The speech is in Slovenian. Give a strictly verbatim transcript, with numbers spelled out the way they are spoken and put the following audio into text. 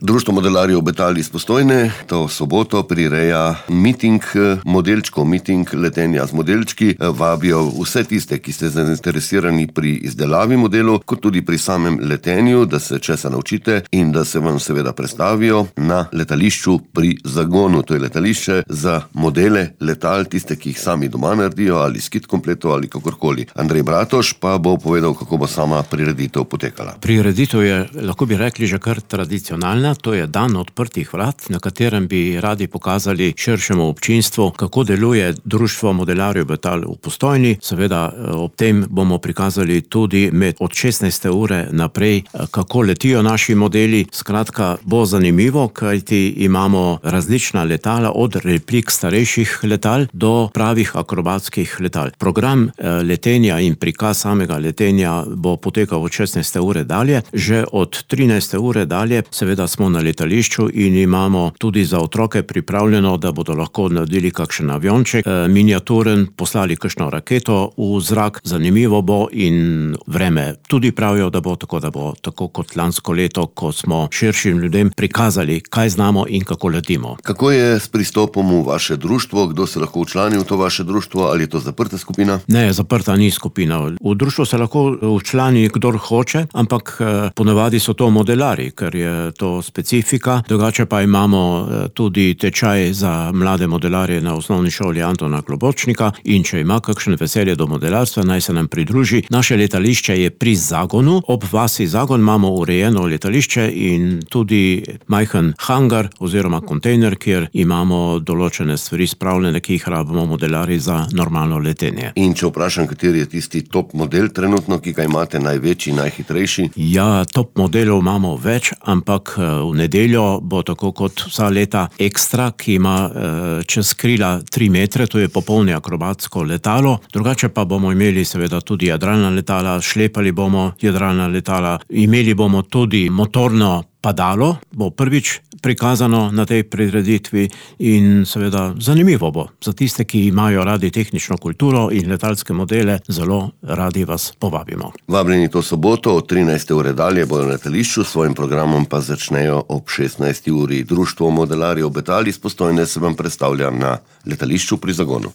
Društvo modelarjev Betal iz Postojne to soboto prireja miting modelčkov, miting letenja z modelčki. Vabijo vse tiste, ki ste zainteresirani pri izdelavi modelov, kot tudi pri samem letenju, da se česa naučite in da se vam seveda predstavijo na letališču pri Zagonu. To je letališče za modele letal, tiste, ki jih sami doma naredijo ali s kit kompleto ali kakorkoli. Andrej Bratoš pa bo povedal, kako bo sama prireditev potekala. Prireditev je, lahko bi rekli, že kar tradicionalna. To je dan odprtih vrat, na katerem bi radi pokazali širšemu občinstvu, kako deluje Društvo modelarjev Betal v Postojni. Seveda ob tem bomo prikazali tudi med od šestnajste ure naprej, kako letijo naši modeli. Skratka, bo zanimivo, kajti imamo različna letala, od replik starejših letal do pravih akrobatskih letal. Program letenja in prikaz samega letenja bo potekal od šestnajste ure dalje. Že od trinajste ure dalje seveda smo na letališču in imamo tudi za otroke pripravljeno, da bodo lahko naredili kakšen avionček, miniaturen, poslali kakšno raketo v zrak. Zanimivo bo in vreme tudi pravijo, da bo tako, da bo tako kot lansko leto, ko smo širšim ljudem prikazali, kaj znamo in kako letimo. Kako je s pristopom v vaše društvo? Kdo se lahko včlani v to vaše društvo? Ali je to zaprta skupina? Ne, zaprta ni skupina. V društvo se lahko včlani kdor hoče, ampak ponavadi so to modelari, ker je to specifika. Drugače pa imamo tudi tečaj za mlade modelarje na osnovni šoli Antona Klobočnika in če ima kakšen veselje do modelarstva, naj se nam pridruži. Naše letališče je pri Zagonu. Ob vasi Zagon imamo urejeno letališče in tudi majhen hangar oziroma kontejner, kjer imamo določene stvari spravljene, ki jih rabimo modelarji za normalno letenje. In če vprašam, kateri je tisti top model trenutno, ki ga imate največji, najhitrejši? Ja, top modelov imamo več, ampak v nedeljo bo tako kot vsa leta Ekstra, ki ima čez krila tri metre, to je popolni akrobatsko letalo. Drugače pa bomo imeli seveda tudi jadralna letala, šlepali bomo jadralna letala, imeli bomo tudi motorno padalo, bo prvič prikazano na tej prireditvi in seveda zanimivo bo. Za tiste, ki imajo radi tehnično kulturo in letalske modele, zelo radi vas povabimo. Vabljeni to soboto od trinajste ure dalje bodo na letališču, s svojim programom pa začnejo ob šestnajsti uri. Društvo modelarjev Betal iz Postojne se vam predstavlja na letališču pri Zagonu.